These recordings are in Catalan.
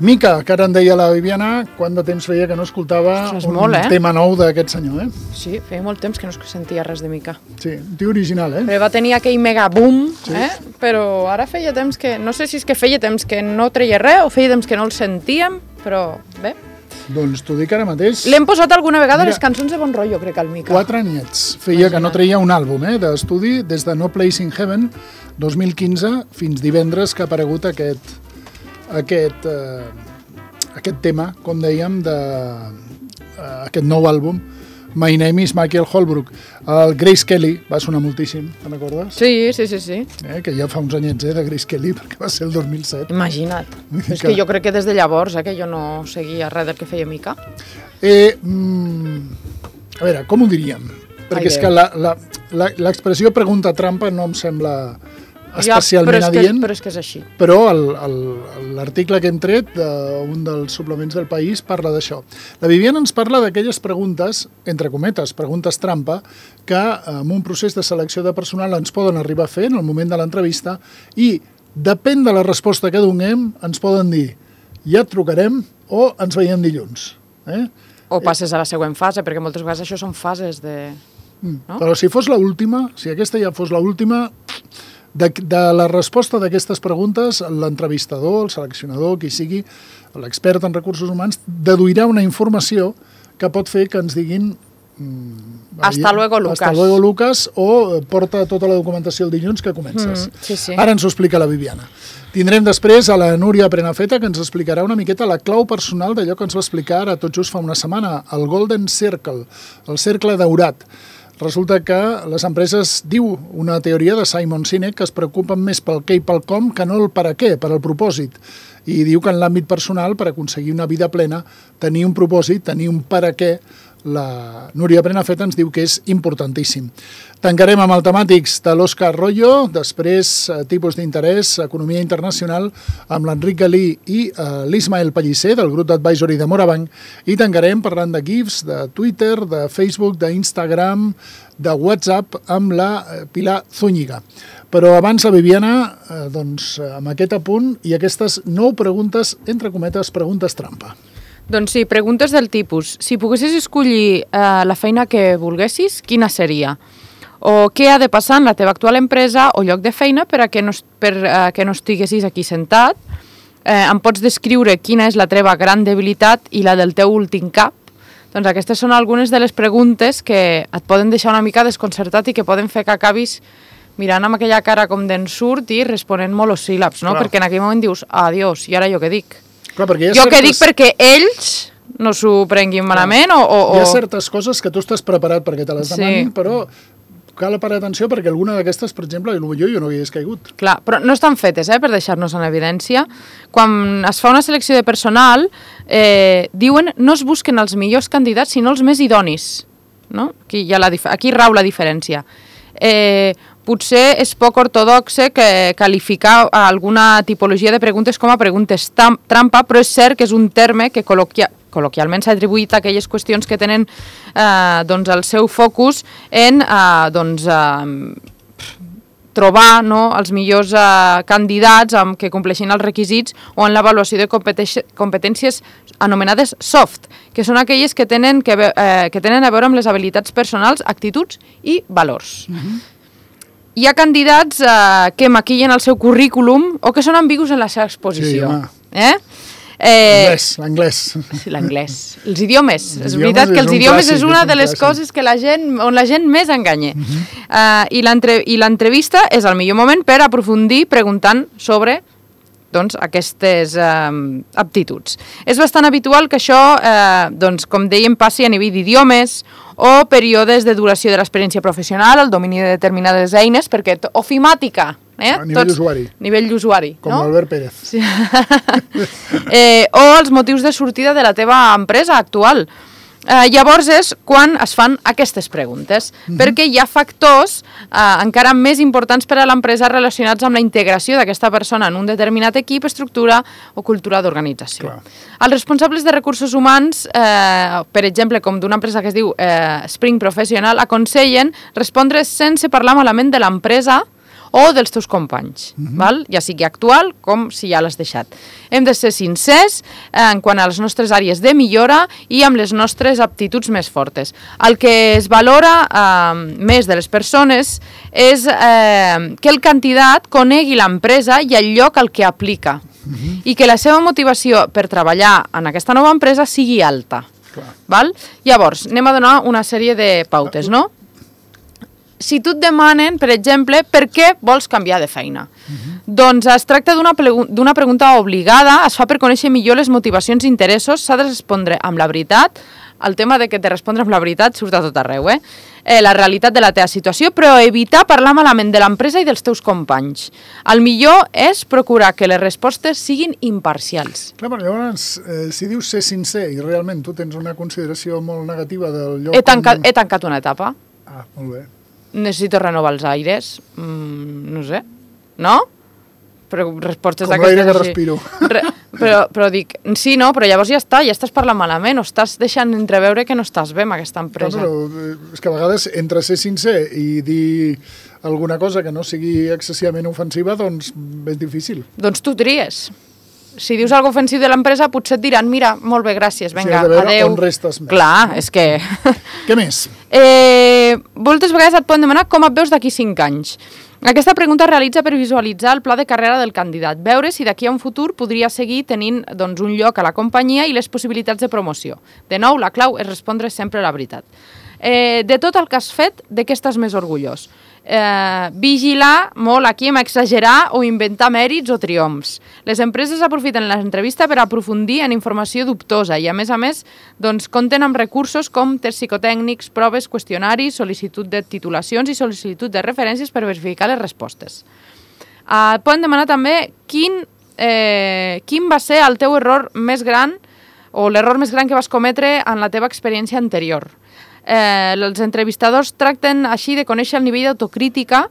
Mica, que ara en deia la Viviana, quant de temps feia que no escoltava un tema nou d'aquest senyor, Sí, feia molt temps que no es sentia res de Mica. Sí, un tio original, Però va tenir aquell mega boom, però ara feia temps que... No sé si és que feia temps que no treia res o feia temps que no el sentíem, però bé. Doncs t'ho dic ara mateix. L'hem posat alguna vegada les cançons de Bon Rotllo, crec, al Mica. 4 anyets. Feia que no treia un àlbum d'estudi des de No Place in Heaven 2015 fins divendres que ha aparegut aquest tema, com dèiem, d'aquest nou àlbum, My Name is Michael Holbrook. El Grace Kelly va sonar moltíssim, te'n recordes? Sí. Que ja fa uns anyets, de Grace Kelly, perquè va ser el 2007. Imagina't. És que jo crec que des de llavors, que jo no seguia res del que feia Mica. A veure, com ho diríem? Perquè és que l'expressió pregunta trampa no em sembla especialment adient. Però és que és així. Però l'article que hem tret d'un dels suplements del País parla d'això. La Viviana ens parla d'aquelles preguntes, entre cometes, preguntes trampa, que en un procés de selecció de personal ens poden arribar a fer en el moment de l'entrevista i depèn de la resposta que donem, ens poden dir ja et trucarem o ens veiem dilluns. O passes a la següent fase, perquè moltes vegades això són fases de... No? Però si fos l'última, si aquesta ja fos l'última... De la resposta d'aquestes preguntes, l'entrevistador, el seleccionador, qui sigui, l'expert en recursos humans, deduirà una informació que pot fer que ens diguin hasta luego, Lucas. Hasta luego, Lucas, o porta tota la documentació el dilluns que comences. Sí. Ara ens ho explica la Viviana. Tindrem després a la Núria Prenafeta, que ens explicarà una miqueta la clau personal d'allò que ens va explicar ara tot just fa una setmana, el Golden Circle, el cercle daurat. Resulta que les empreses, diu una teoria de Simon Sinek, que es preocupen més pel què i pel com que no el per a què, per al propòsit. I diu que en l'àmbit personal, per aconseguir una vida plena, tenir un propòsit, tenir un per a què, la Núria Prenafeta ens diu que és importantíssim. Tancarem amb el temàtics de l'Òscar Royo, després tipus d'interès, economia internacional, amb l'Enric Galí i l'Ismael Pellicer, del grup d'advisory de Morabanc, i tancarem parlant de GIFs, de Twitter, de Facebook, d'Instagram, de WhatsApp, amb la Pilar Zúñiga. Però abans la Viviana, amb aquest apunt i aquestes 9 preguntes, entre cometes, preguntes trampa. Doncs sí, preguntes del tipus. Si poguessis escollir la feina que volguessis, quina seria? O què ha de passar en la teva actual empresa o lloc de feina per a que no estiguessis aquí sentat? Em pots descriure quina és la teva gran debilitat i la del teu últim cap? Doncs aquestes són algunes de les preguntes que et poden deixar una mica desconcertat i que poden fer que acabis mirant amb aquella cara com d'ensurt i responent monosíl·labs, no? Clar. Perquè en aquell moment dius, adiós, i ara jo què dic? Clar, jo què dic perquè ells no s'ho prenguin malament o... Hi ha certes coses que tu estàs preparat perquè te les demanin, però cal parar atenció perquè alguna d'aquestes, per exemple, jo no hi hagués caigut. Clar, però no estan fetes, per deixar-nos en evidència. Quan es fa una selecció de personal, diuen no es busquen els millors candidats, sinó els més idonis. No? Aquí rau la diferència. Potser és poc ortodoxe qualificar alguna tipologia de preguntes com a preguntes trampa, però és cert que és un terme que col·loquialment s'ha atribuït a aquelles qüestions que tenen el seu focus en trobar els millors candidats que compleixin els requisits o en l'avaluació de competències anomenades soft, que són aquelles que tenen a veure amb les habilitats personals, actituds i valors. Hi ha candidats que maquillen el seu currículum o que són ambigus en la seva exposició. L'anglès. Sí, l'anglès. Els idiomes. És veritat que els idiomes és una de les coses on la gent més enganya. I l'entrevista és el millor moment per aprofundir preguntant sobre aquestes aptituds. És bastant habitual que això, com dèiem, passi a nivell d'idiomes o períodes de duració de l'experiència professional, el domini de determinades eines, perquè ofimàtica, a nivell d'usuari. Nivell d'usuari, com Albert Pérez. Sí. O els motius de sortida de la teva empresa actual. Llavors és quan es fan aquestes preguntes, perquè hi ha factors encara més importants per a l'empresa relacionats amb la integració d'aquesta persona en un determinat equip, estructura o cultura d'organització. Els responsables de recursos humans, per exemple, com d'una empresa que es diu Spring Professional, aconsellen respondre sense parlar malament de l'empresa o dels teus companys, val? Ja sigui actual com si ja l'has deixat. Hem de ser sincers en quant a les nostres àrees de millora i amb les nostres aptituds més fortes. El que es valora més de les persones és que el candidat conegui l'empresa i el lloc al que aplica i que la seva motivació per treballar en aquesta nova empresa sigui alta. Val? Llavors, anem a donar una sèrie de pautes, no? Si tu et demanen, per exemple, per què vols canviar de feina? Doncs es tracta d'una pregunta obligada, es fa per conèixer millor les motivacions i interessos, s'ha de respondre amb la veritat. El tema de que te respondre amb la veritat surt a tot arreu, la realitat de la teva situació, però evitar parlar malament de l'empresa i dels teus companys. El millor és procurar que les respostes siguin imparcials. Clar, però llavors, si dius ser sincer i realment tu tens una consideració molt negativa del lloc... He tancat una etapa. Ah, molt bé. Necessito renovar els aires. No sé. No? Però respostes com l'aire que respiro. Però dic, sí, no, però llavors ja estàs parlant malament o estàs deixant entreveure que no estàs bé amb aquesta empresa. Però és que a vegades entre ser sincer i dir alguna cosa que no sigui excessivament ofensiva, doncs és difícil. Doncs tu tries. Si dius alguna ofensiu de l'empresa, potser et diran, mira, molt bé, gràcies, vinga, adeu. On restes més. Clar, és que... Què més? Moltes vegades et poden demanar com et veus d'aquí 5 anys. Aquesta pregunta es realitza per visualitzar el pla de carrera del candidat, veure si d'aquí a un futur podria seguir tenint un lloc a la companyia i les possibilitats de promoció. De nou, la clau és respondre sempre la veritat. De tot el que has fet, de què estàs més orgullós? Vigilar molt aquí amb exagerar o inventar mèrits o triomfs. Les empreses aprofiten l'entrevista per aprofundir en informació dubtosa i a més, compten amb recursos com tests psicotècnics, proves, qüestionaris, sol·licitud de titulacions i sol·licitud de referències per verificar les respostes. Poden demanar també quin va ser el teu error més gran o l'error més gran que vas cometre en la teva experiència anterior. Els entrevistadors tracten així de conèixer el nivell d'autocrítica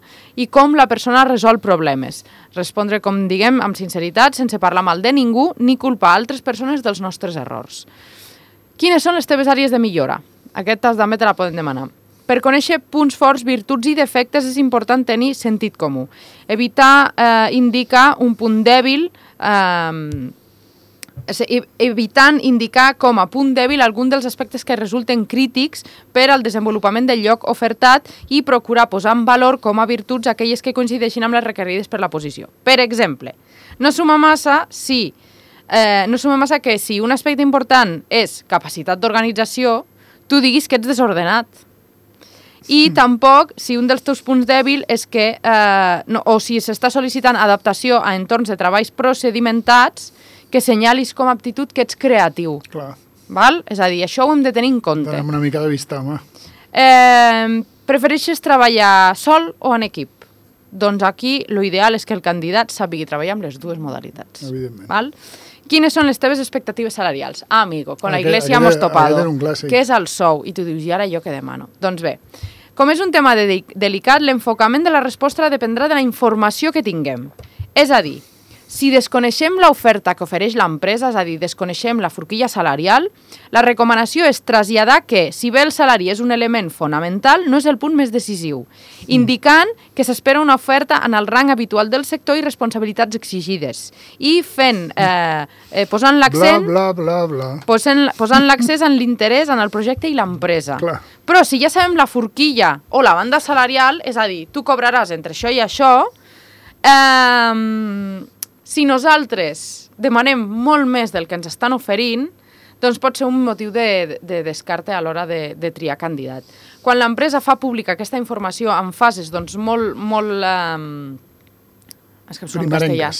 i com la persona resol problemes. Respondre, com diguem, amb sinceritat, sense parlar mal de ningú ni culpar altres persones dels nostres errors. Quines són les teves àrees de millora? Aquesta també te la poden demanar. Per conèixer punts forts, virtuts i defectes és important tenir sentit comú. Evitar indicar un punt dèbil evitant indicar com a punt dèbil algun dels aspectes que resulten crítics per al desenvolupament del lloc ofertat i procurar posar en valor com a virtuts aquelles que coincideixin amb les requerides per la posició. Per exemple, no suma massa que si un aspecte important és capacitat d'organització, tu diguis que ets desordenat. I tampoc, si un dels teus punts dèbil és que, o si s'està sol·licitant adaptació a entorns de treballs procedimentats, que senyalis com a aptitud que ets creatiu. Clar. Val? És a dir, això ho hem de tenir en compte. Donem una mica de vista, home. Prefereixes treballar sol o en equip? Doncs aquí l'ideal és que el candidat sàpigui treballar amb les dues modalitats. Evidentment. Val? Quines són les teves expectatives salarials? Ah, amigo, con la iglesia hemos topado. Què és el sou? I tu dius, i ara jo què demano? Doncs bé, com és un tema delicat, l'enfocament de la resposta dependrà de la informació que tinguem. És a dir, si desconeixem l'oferta que ofereix l'empresa, és a dir, desconeixem la forquilla salarial, la recomanació és traslladar que, si bé el salari és un element fonamental, no és el punt més decisiu, indicant que s'espera una oferta en el rang habitual del sector i responsabilitats exigides. I posant l'accent... Bla, bla, bla, bla. Posant l'accés en l'interès en el projecte i l'empresa. Clar. Però si ja sabem la forquilla o la banda salarial, és a dir, tu cobraràs entre això i això, si nosaltres demanem molt més del que ens estan oferint, doncs pot ser un motiu de descarte a l'hora de triar candidat. Quan l'empresa fa pública aquesta informació en fases molt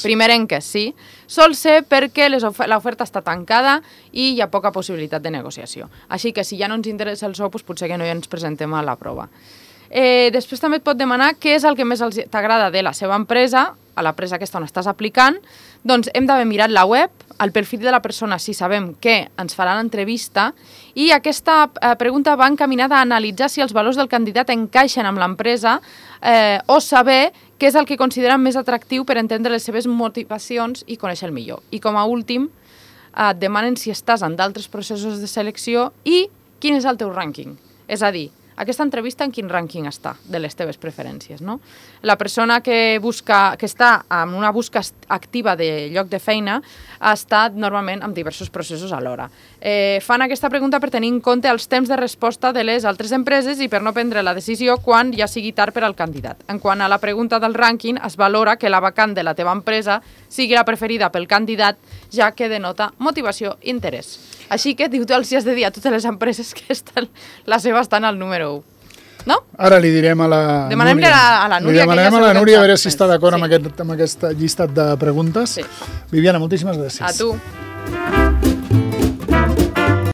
primerenques, sí, sol ser perquè l'oferta està tancada i hi ha poca possibilitat de negociació. Així que si ja no ens interessa el sou, doncs potser que no ens presentem a la prova. Després també et pot demanar què és el que més t'agrada de la seva empresa, a l'empresa aquesta on estàs aplicant, doncs hem d'haver mirat la web, el perfil de la persona si sabem que ens farà l'entrevista i aquesta pregunta va encaminada a analitzar si els valors del candidat encaixen amb l'empresa o saber què és el que consideren més atractiu per entendre les seves motivacions i conèixer-el millor. I com a últim, et demanen si estàs en d'altres processos de selecció i quin és el teu rànquing. És a dir, aquesta entrevista en quin rànquing està de les teves preferències, no? La persona que està en una busca activa de lloc de feina ha estat normalment amb diversos processos alhora. Fan aquesta pregunta per tenir en compte els temps de resposta de les altres empreses i per no prendre la decisió quan ja sigui tard per al candidat. En quant a la pregunta del rànquing, es valora que la vacant de la teva empresa sigui la preferida pel candidat, ja que denota motivació i interès. Així que tu els has de dir a totes les empreses que la seva estan al número 1. No? Ara li direm a la Núria. Demanem a la Núria. Li demanem a la Núria a veure si està d'acord amb aquest llistat de preguntes. Sí. Viviana, moltíssimes gràcies. A tu.